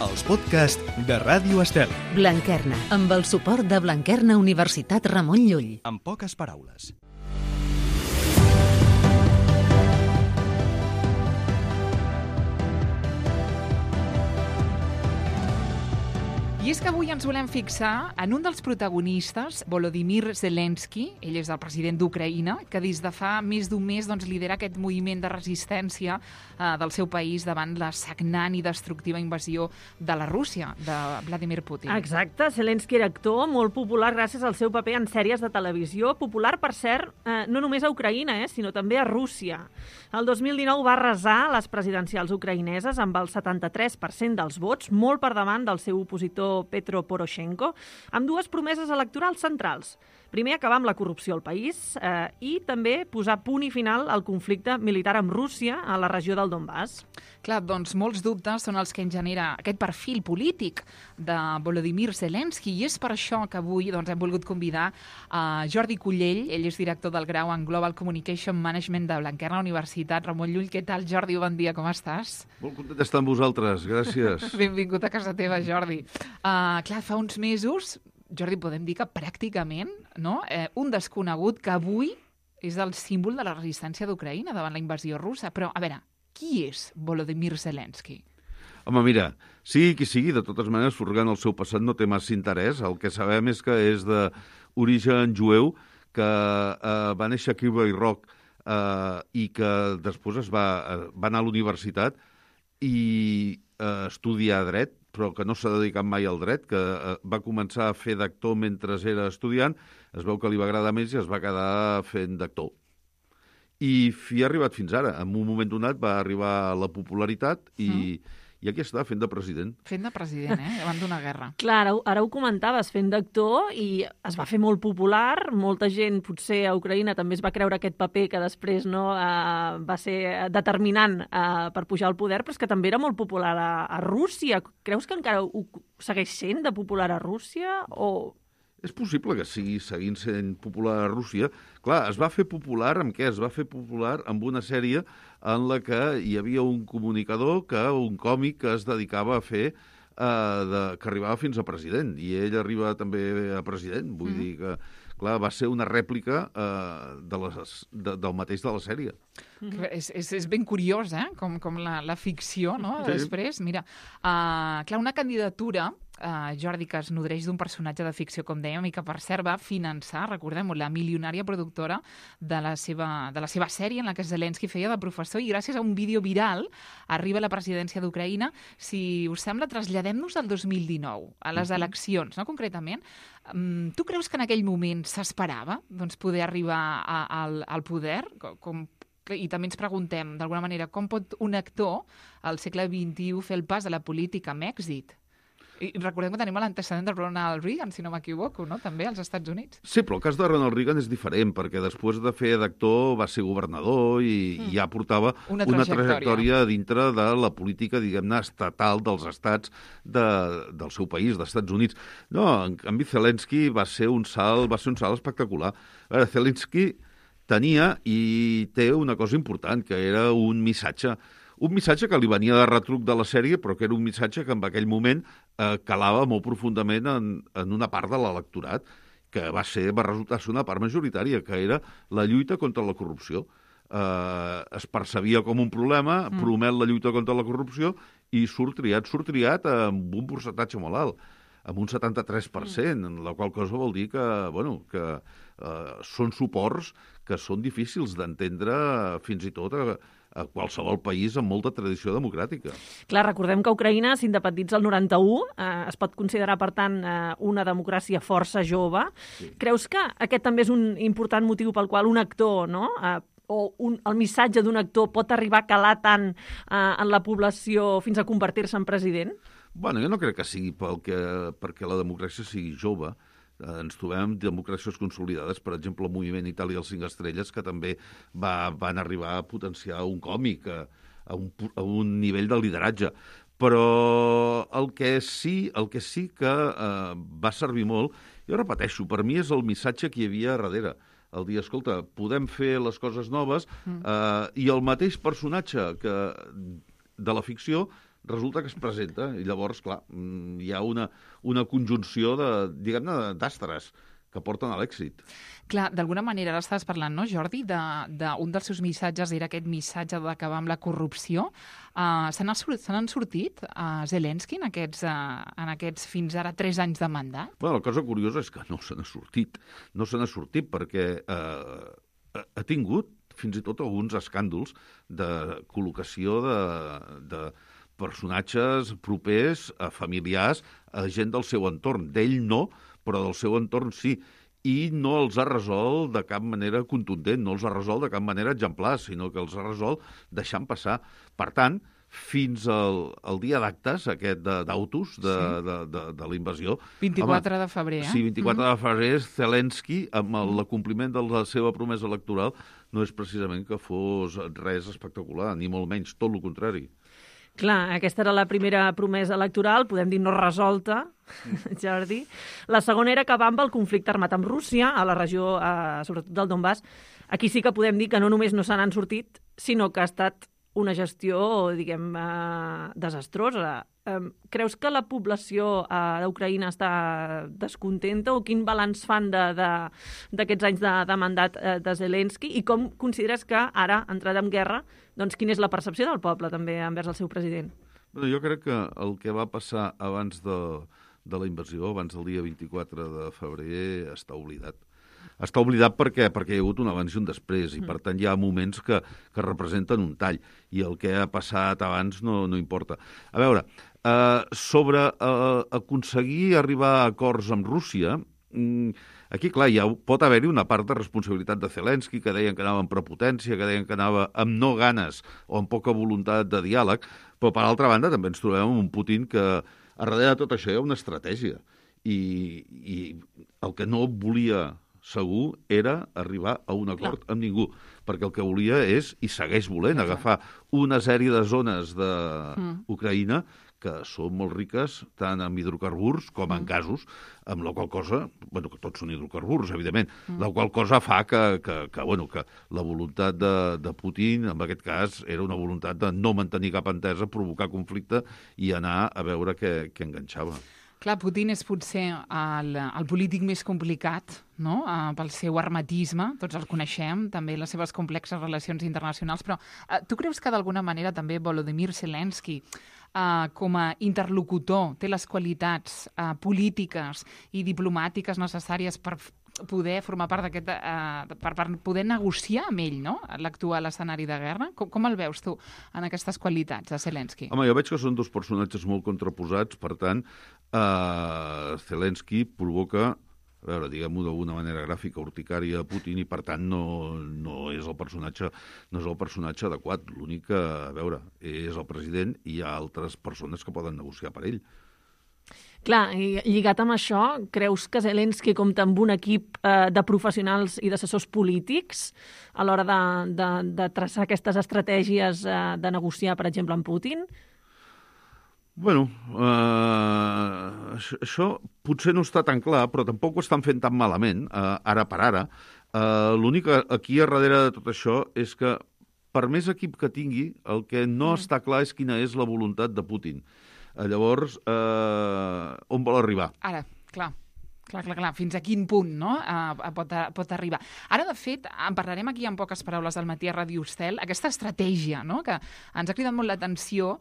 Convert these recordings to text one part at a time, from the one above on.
els podcasts de Ràdio Estel. Blanquerna, amb el suport de Blanquerna Universitat Ramon Llull. En poques paraules. I és que avui ens volem fixar en un dels protagonistes, Volodymyr Zelensky, ell és el president d'Ucraïna, que des de fa més d'un mes lidera aquest moviment de resistència del seu país davant la sagnant i destructiva invasió de la Rússia, de Vladimir Putin. Exacte, Zelensky era actor, molt popular gràcies al seu paper en sèries de televisió, popular, per cert, no només a Ucraïna, sinó també a Rússia. El 2019 va arrasar les presidencials ucraïneses amb el 73% dels vots, molt per davant del seu opositor Petro Poroshenko, amb dues promeses electorals centrals. Primer, acabar amb la corrupció al país i també posar punt i final al conflicte militar amb Rússia a la regió del Donbass. Clar, doncs molts dubtes són els que en genera aquest perfil polític de Volodymyr Zelensky, i és per això que avui hem volgut convidar a Jordi Cullell. Ell és director del grau en Global Communication Management de Blanquerna Universitat Ramon Llull. Què tal, Jordi? Bon dia, com estàs? Molt content d'estar amb vosaltres, gràcies. Benvingut a casa teva, Jordi. Clar, fa uns mesos, Jordi, podem dir que pràcticament un desconegut que avui és el símbol de la resistència d'Ucraïna davant la invasió russa. Però, a veure, qui és Volodymyr Zelensky? Home, mira, sigui qui sigui, de totes maneres, furgant el seu passat no té massa interès. El que sabem és que és d'origen jueu, que va néixer a Kiryat Rock i que després va anar a l'universitat i estudiar dret, però que no s'ha dedicat mai al dret, que va començar a fer d'actor mentre era estudiant, es veu que li va agradar més i es va quedar fent d'actor. I ha arribat fins ara. En un moment donat va arribar a la popularitat i aquí està, fent de president. Fent de president, davant d'una guerra. Clar, ara ho comentaves, fent d'actor, i es va fer molt popular. Molta gent, potser a Ucraïna, també es va creure aquest paper que després va ser determinant per pujar al poder, però és que també era molt popular a Rússia. Creus que encara ho segueix sent de popular a Rússia? O... És possible que sigui seguint sent popular a Rússia. Clar, es va fer popular amb què? Es va fer popular amb una sèrie en la que hi havia un comunicador, un còmic que es dedicava a fer, que arribava fins a president. I ell arriba també a president. Vull dir que, clar, va ser una rèplica del mateix de la sèrie. És ben curiós, com la ficció, no? Sí. Després, mira, clar, una candidatura, Jordi, que es nodreix d'un personatge de ficció, com dèiem, i que, per cert, va finançar, recordem-ho, la milionària productora de la seva sèrie, en la que Zelensky feia de professor, i gràcies a un vídeo viral arriba a la presidència d'Ucraïna. Si us sembla, traslladem-nos al 2019, a les eleccions, no? Concretament. Tu creus que en aquell moment s'esperava poder arribar al poder? I també ens preguntem, d'alguna manera, com pot un actor al segle XXI fer el pas a la política amb èxit? I recordem que tenim l'antecedent de Ronald Reagan, si no m'equivoco, no? També als Estats Units. Sí, però el cas de Ronald Reagan és diferent, perquè després de fer d'actor va ser governador i ja portava una trajectòria dintre de la política, diguem-ne, estatal dels estats del seu país, dels Estats Units. No, en canvi, Zelensky va ser un salt espectacular. A veure, Zelensky tenia i té una cosa important, que era un missatge que li venia de retruc de la sèrie, però que era un missatge que en aquell moment calava molt profundament en una part de l'electorat, que va resultar ser una part majoritària, que era la lluita contra la corrupció. Es percebia com un problema, promet la lluita contra la corrupció i surt triat amb un percentatge molt alt, amb un 73%, en la qual cosa vol dir que són suports que són difícils d'entendre fins i tot a qualsevol país amb molta tradició democràtica. Clar, recordem que Ucraïna s'independitza el 91, es pot considerar, per tant, una democràcia força jove. Sí. Creus que aquest també és un important motiu pel qual un actor, no?, el missatge d'un actor pot arribar a calar tant en la població fins a convertir-se en president? Bueno, jo no crec que sigui perquè la democràcia sigui jove. Ens trobem amb democràcies consolidades, per exemple, el moviment Itàlia als 5 estrelles, que també van arribar a potenciar un còmic a un nivell de lideratge. Però el que sí que va servir molt, jo repeteixo, per mi és el missatge que hi havia darrere. El dir, escolta, podem fer les coses noves i el mateix personatge de la ficció resulta que es presenta, i llavors, clar, hi ha una conjunció diguem-ne, d'astres que porten a l'èxit. Clar, d'alguna manera, ara estaves parlant, no, Jordi, d'un dels seus missatges era aquest missatge d'acabar amb la corrupció. Se n'han sortit a Zelensky en aquests fins ara 3 anys de mandat? Bueno, la cosa curiosa és que no se n'ha sortit. No se n'ha sortit perquè ha tingut fins i tot alguns escàndols de col·locació de personatges propers, familiars, a gent del seu entorn. D'ell no, però del seu entorn sí. I no els ha resolt de cap manera contundent, no els ha resolt de cap manera exemplar, sinó que els ha resolt deixant passar. Per tant, fins al dia d'actes, aquest d'Autos, de la invasió... 24 de febrer, Sí, 24 de febrer, Zelensky, amb l'acompliment de la seva promesa electoral, no és precisament que fos res espectacular, ni molt menys, tot el contrari. Clar, aquesta era la primera promesa electoral, podem dir no resolta, Jordi. La segona era acabar amb el conflicte armat amb Rússia, a la regió, sobretot del Donbass. Aquí sí que podem dir que no només no se n'han sortit, sinó que ha estat una gestió, diguem, desastrosa. Creus que la població d'Ucraïna està descontenta o quin balanç fan d'aquests anys de mandat de Zelensky i com consideres que ara, entrada en guerra, doncs quina és la percepció del poble també envers el seu president? Bé, jo crec que el que va passar abans de la invasió, abans del dia 24 de febrer, està oblidat. Està oblidat perquè hi ha hagut un abans i un després, i per tant hi ha moments que representen un tall, i el que ha passat abans no importa. A veure, sobre aconseguir arribar a acords amb Rússia, aquí, clar, pot haver-hi una part de responsabilitat de Zelensky, que deien que anava amb prepotència, que deien que anava amb no ganes o amb poca voluntat de diàleg, però per altra banda també ens trobem amb un Putin que a darrere de tot això hi ha una estratègia, i el que no volia segur era arribar a un acord amb ningú, perquè el que volia és, i segueix volent, agafar una sèrie de zones d'Ucraïna que són molt riques tant en hidrocarburs com en gasos, amb la qual cosa, bueno, que tots són hidrocarburs, evidentment, la qual cosa fa que la voluntat de Putin, en aquest cas, era una voluntat de no mantenir cap entesa, provocar conflicte i anar a veure què enganxava. Clar, Putin és potser el polític més complicat, no?, pel seu hermetisme, tots el coneixem, també les seves complexes relacions internacionals, però tu creus que d'alguna manera també Volodymyr Zelensky, com a interlocutor, té les qualitats polítiques i diplomàtiques necessàries per poder formar part d'aquest, per poder negociar amb ell, no?, l'actual escenari de guerra? Com el veus tu en aquestes qualitats de Zelensky? Home, jo veig que són dos personatges molt contraposats, per tant, Zelensky provoca, a veure, diguem-ho d'alguna manera gràfica, urticària a Putin, i per tant no és el personatge adequat. L'únic que, a veure, és el president i hi ha altres persones que poden negociar per ell. Clar, i lligat amb això, creus que Zelensky compta amb un equip de professionals i d'assessors polítics a l'hora de traçar aquestes estratègies de negociar, per exemple, amb Putin? Bueno, això potser no està tan clar, però tampoc ho estan fent tan malament, ara per ara. L'únic aquí a darrere de tot això és que, per més equip que tingui, el que no està clar és quina és la voluntat de Putin. Llavors, on vol arribar? Ara, clar. Fins a quin punt, no?, pot arribar. Ara, de fet, en parlarem aquí en poques paraules del matí a Ràdio Estel, aquesta estratègia, no?, que ens ha cridat molt l'atenció,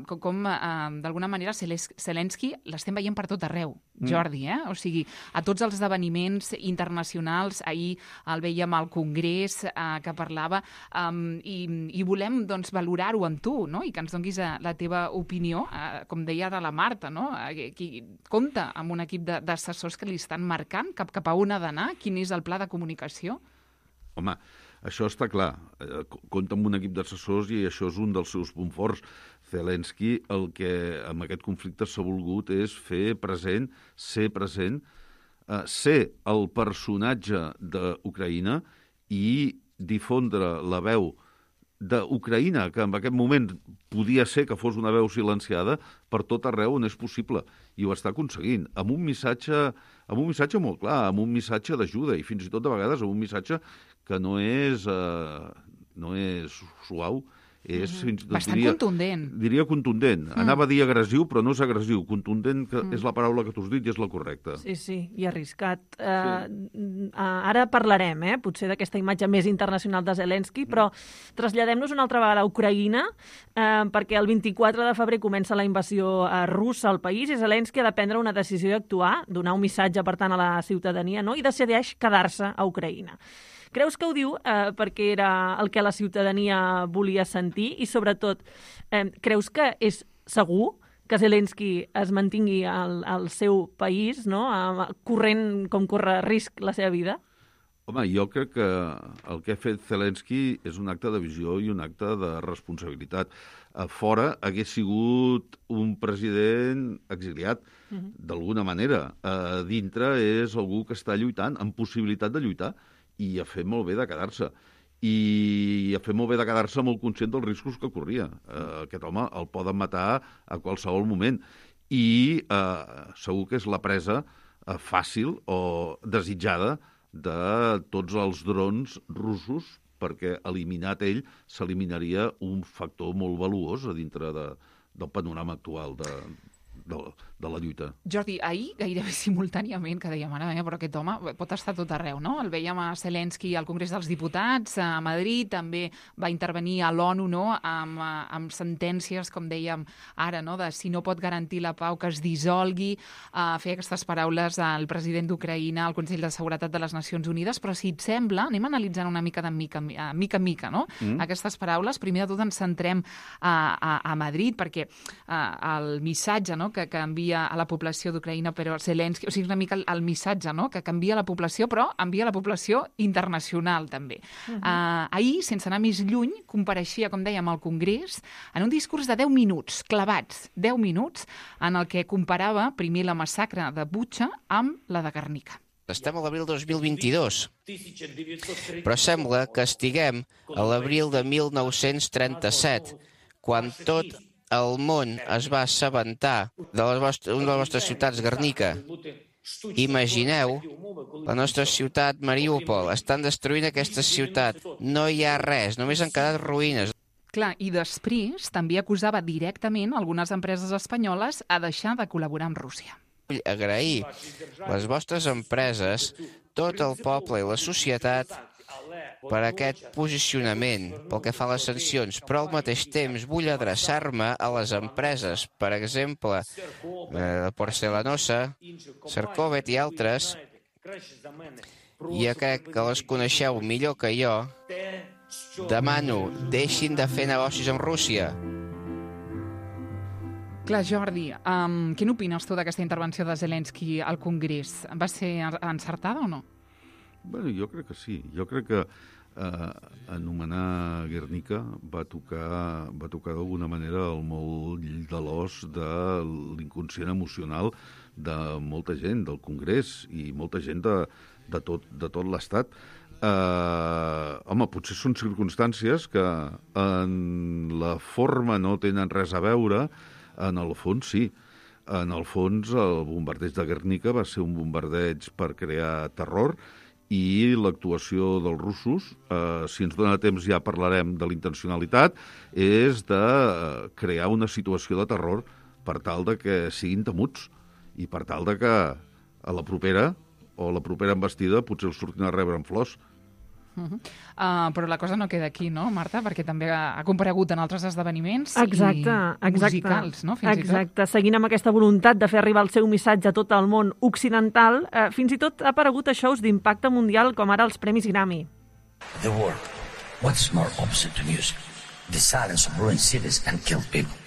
com d'alguna manera Zelensky l'estem veient per tot arreu, Jordi, O sigui, a tots els esdeveniments internacionals, ahir el veiem al Congrés, que parlava, i volem, doncs, valorar-ho amb tu, no?, i que ens donguis la teva opinió, com deia ara la Marta, no?, qui compta amb un equip d'assessors que li estan marcant cap a on ha d'anar? Quin és el pla de comunicació? Home, això està clar. Compta amb un equip d'assessors i això és un dels seus punts forts. Zelensky, el que amb aquest conflicte s'ha volgut és fer present, ser el personatge d'Ucraïna i difondre la veu d'Ucraïna, que en aquest moment podia ser que fos una veu silenciada, per tot arreu on és possible. I ho està aconseguint, amb un missatge molt clar, amb un missatge d'ajuda, i fins i tot de vegades amb un missatge que no és suau És, bastant contundent. Diria contundent. Anava a dir agressiu, però no és agressiu. Contundent que és la paraula que tu has dit i és la correcta. Sí, i arriscat. Ara parlarem, potser d'aquesta imatge més internacional de Zelensky, però traslladem-nos una altra vegada a Ucraïna, perquè el 24 de febrer comença la invasió russa al país i Zelensky ha de prendre una decisió d'actuar, donar un missatge, per tant, a la ciutadania, no? I decideix quedar-se a Ucraïna. Creus que ho diu perquè era el que la ciutadania volia sentir i, sobretot, creus que és segur que Zelensky es mantingui al seu país, no? Corrent com corre risc la seva vida? Home, jo crec que el que ha fet Zelensky és un acte de visió i un acte de responsabilitat. A fora hagués sigut un president exiliat, d'alguna manera. A dintre és algú que està lluitant, amb possibilitat de lluitar, i ha fet molt bé de quedar-se. I ha fet molt bé de quedar-se molt conscient dels riscos que corria. Aquest home el poden matar a qualsevol moment. I segur que és la presa fàcil o desitjada de tots els drons russos, perquè eliminat ell s'eliminaria un factor molt valuós a dintre del panorama actual de la lluita. Jordi, ahir, gairebé simultàniament, que dèiem, ara, però aquest home pot estar tot arreu, no? El veiem a Zelensky al Congrés dels Diputats, a Madrid, també va intervenir a l'ONU, no?, amb sentències, com dèiem ara, no?, de si no pot garantir la pau, que es dissolgui, fer aquestes paraules al president d'Ucraïna al Consell de Seguretat de les Nacions Unides, però si et sembla, anem analitzant una mica mica en mica, no?, aquestes paraules. Primer de tot ens centrem a Madrid, perquè el missatge, no?, que envia a la població d'Ucraïna, però Zelensky, o sigui, una mica el missatge, no?, que envia a la població, però envia a la població internacional, també. Ahir, sense anar més lluny, compareixia, com dèiem, al Congrés, en un discurs de 10 minuts, clavats, 10 minuts, en el que comparava primer la massacre de Butxa amb la de Guernica. Estem a l'abril 2022, però sembla que estiguem a l'abril de 1937, quan tot el món es va assabentar de una de les vostres ciutats, Guernica. Imagineu la nostra ciutat, Mariúpol. Estan destruint aquesta ciutat. No hi ha res, només han quedat ruïnes. Clar, i després també acusava directament algunes empreses espanyoles a deixar de col·laborar amb Rússia. Vull agrair les vostres empreses, tot el poble i la societat per aquest posicionament pel que fa a les sancions, però al mateix temps vull adreçar-me a les empreses, per exemple, Porcelanosa, Cercovet i altres, i crec que les coneixeu millor que jo. Demano, deixin de fer negocis amb Rússia. Clar, Jordi, què n'opines tu d'aquesta intervenció de Zelensky al Congrés? Va ser encertada o no? Bueno, jo crec que sí. Jo crec que anomenar Guernica va tocar d'alguna manera el moll de l'os de l'inconscient emocional de molta gent del Congrés i molta gent de tot l'Estat. Home, potser són circumstàncies que en la forma no tenen res a veure, en el fons sí. En el fons, el bombardeig de Guernica va ser un bombardeig per crear terror i l'actuació dels russos, si ens dona temps ja parlarem de la intencionalitat, és de crear una situació de terror per tal de que siguin temuts i per tal de que a la propera embestida potser els surtin a rebre amb flors. Però la cosa no queda aquí, no, Marta? Perquè també ha comparegut en altres esdeveniments musicals, no? Exacte. Seguint amb aquesta voluntat de fer arribar el seu missatge a tot el món occidental, fins i tot ha aparegut a shows d'impacte mundial com ara els Premis Grammy. The world. What's more opposite to music? The silence of ruined cities and killed people.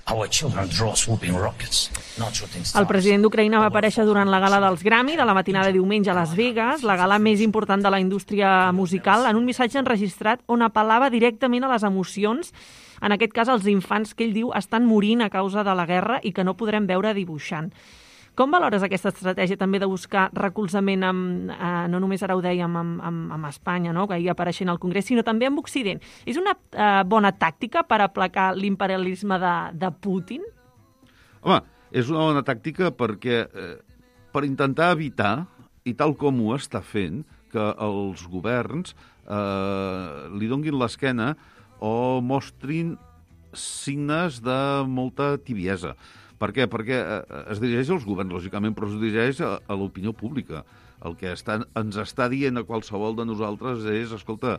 Our children draw swooping rockets, not shooting stars. El president d'Ucraïna va aparèixer durant la gala dels Grammy de la matinada de diumenge a Las Vegas, la gala més important de la indústria musical, en un missatge enregistrat on apel·lava directament a les emocions, en aquest cas els infants que ell diu estan morint a causa de la guerra i que no podrem veure dibuixant. Com valores aquesta estratègia també de buscar recolzament no només ara ho dèiem amb Espanya, no?, que hi apareixent al Congrés, sinó també amb Occident? És una bona tàctica per aplacar l'imperialisme de Putin? Home, és una bona tàctica perquè per intentar evitar, i tal com ho està fent, que els governs li donguin l'esquena o mostrin signes de molta tibiesa. Per què? Perquè es dirigeix als governs, lògicament, però es dirigeix a l'opinió pública. El que ens està dient a qualsevol de nosaltres és, escolta,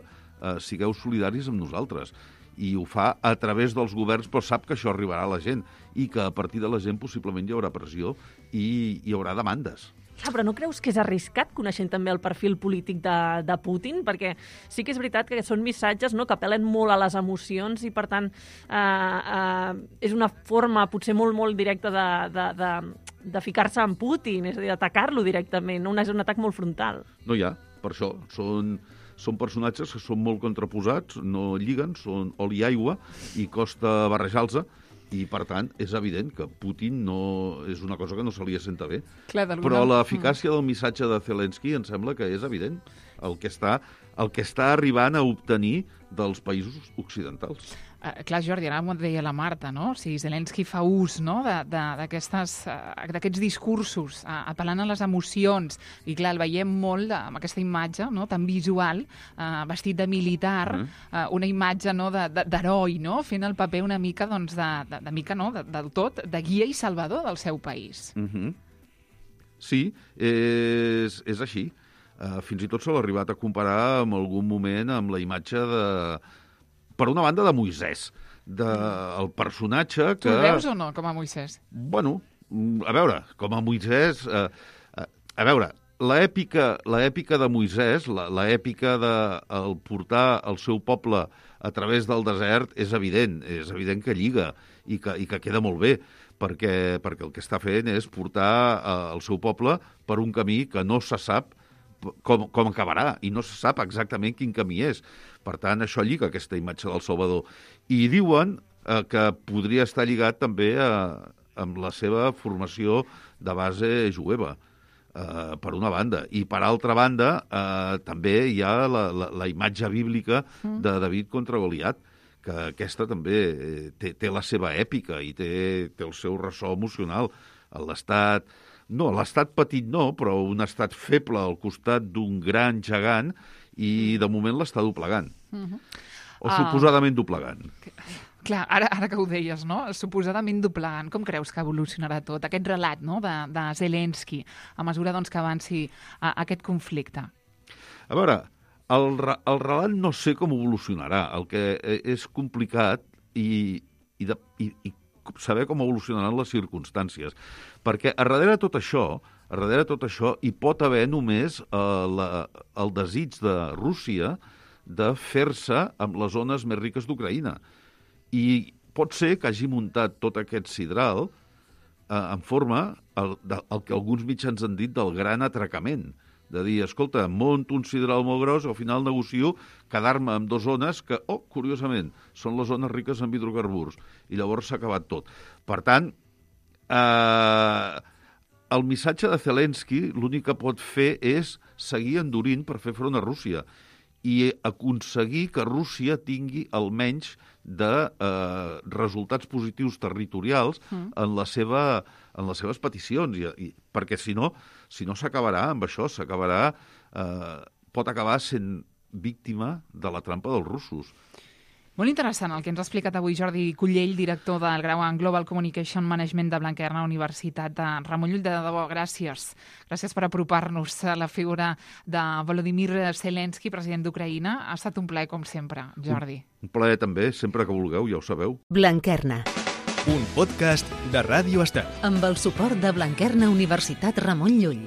sigueu solidaris amb nosaltres. I ho fa a través dels governs, però sap que això arribarà a la gent i que a partir de la gent possiblement hi haurà pressió i hi haurà demandes. Però no creus que és arriscat, coneixent també el perfil polític de Putin? Perquè sí que és veritat que són missatges, no?, que apel·len molt a les emocions i, per tant, és una forma potser molt, molt directa de ficar-se en Putin, és a dir, d'atacar-lo directament, no? És un atac molt frontal. No hi ha, per això. Són personatges que són molt contraposats, no lliguen, són oli i aigua i costa barrejar-los. I, per tant, és evident que Putin no és una cosa que no se li assenta bé. Clar, però l'eficàcia del missatge de Zelensky em sembla que és evident el que està arribant a obtenir dels països occidentals. Clar, Jordi, ara m'ho deia la Marta, no? O sigui, Zelensky fa ús, no?, d'aquests discursos, apel·lant a les emocions, i clar, el veiem molt amb aquesta imatge, no?, tan visual, vestit de militar, una imatge, no?, d'heroi, no?, fent el paper una mica, doncs, del tot, de guia i salvador del seu país. Sí, és així. Fins i tot se l'ha arribat a comparar en algun moment amb la imatge per una banda, de Moisès, del personatge que... Tu el veus o no, com a Moisès? Bueno, a veure, com a Moisès... A veure, l'èpica de Moisès, l'èpica de portar el seu poble a través del desert, és evident que lliga i que queda molt bé, perquè el que està fent és portar el seu poble per un camí que no se sap com acabarà, i no se sap exactament quin camí és. Per tant, això lliga aquesta imatge del Salvador. I diuen que podria estar lligat també amb la seva formació de base jueva, per una banda. I per altra banda, també hi ha la imatge bíblica de David contra Goliat, que aquesta també té la seva èpica i té el seu ressò emocional. L'estat petit no, però un estat feble al costat d'un gran gegant i de moment l'està doblegant. O suposadament doblegant. Clar, ara que ho deies, no? Suposadament doblegant. Com creus que evolucionarà tot aquest relat, no?, de Zelensky a mesura, doncs, que avanci aquest conflicte? A veure, el relat no sé com evolucionarà. El que és complicat i saber com evolucionaran les circumstàncies. Perquè a darrere de tot això hi pot haver només el desig de Rússia de fer-se amb les zones més riques d'Ucraïna. I pot ser que hagi muntat tot aquest sidral en forma el que alguns mitjans han dit del gran atracament. De dir, escolta, monto un sidral molt gros, al final negocio quedar-me amb 2 zones que, curiosament, són les zones riques en hidrocarburs. I llavors s'ha acabat tot. Per tant, el missatge de Zelensky l'únic que pot fer és seguir endurint per fer front a Rússia i aconseguir que Rússia tingui almenys de resultats positius territorials en les seves peticions, perquè si no s'acabarà amb això, pot acabar sent víctima de la trampa dels russos. Molt interessant el que ens ha explicat avui Jordi Cullell, director del grau en Global Communication Management de Blanquerna Universitat de Ramon Llull. De debò, gràcies. Gràcies per apropar-nos a la figura de Volodymyr Zelensky, president d'Ucraïna. Ha estat un plaer, com sempre, Jordi. Un plaer també, sempre que vulgueu, ja ho sabeu. Blanquerna. Un podcast de Ràdio Estel. Amb el suport de Blanquerna Universitat Ramon Llull.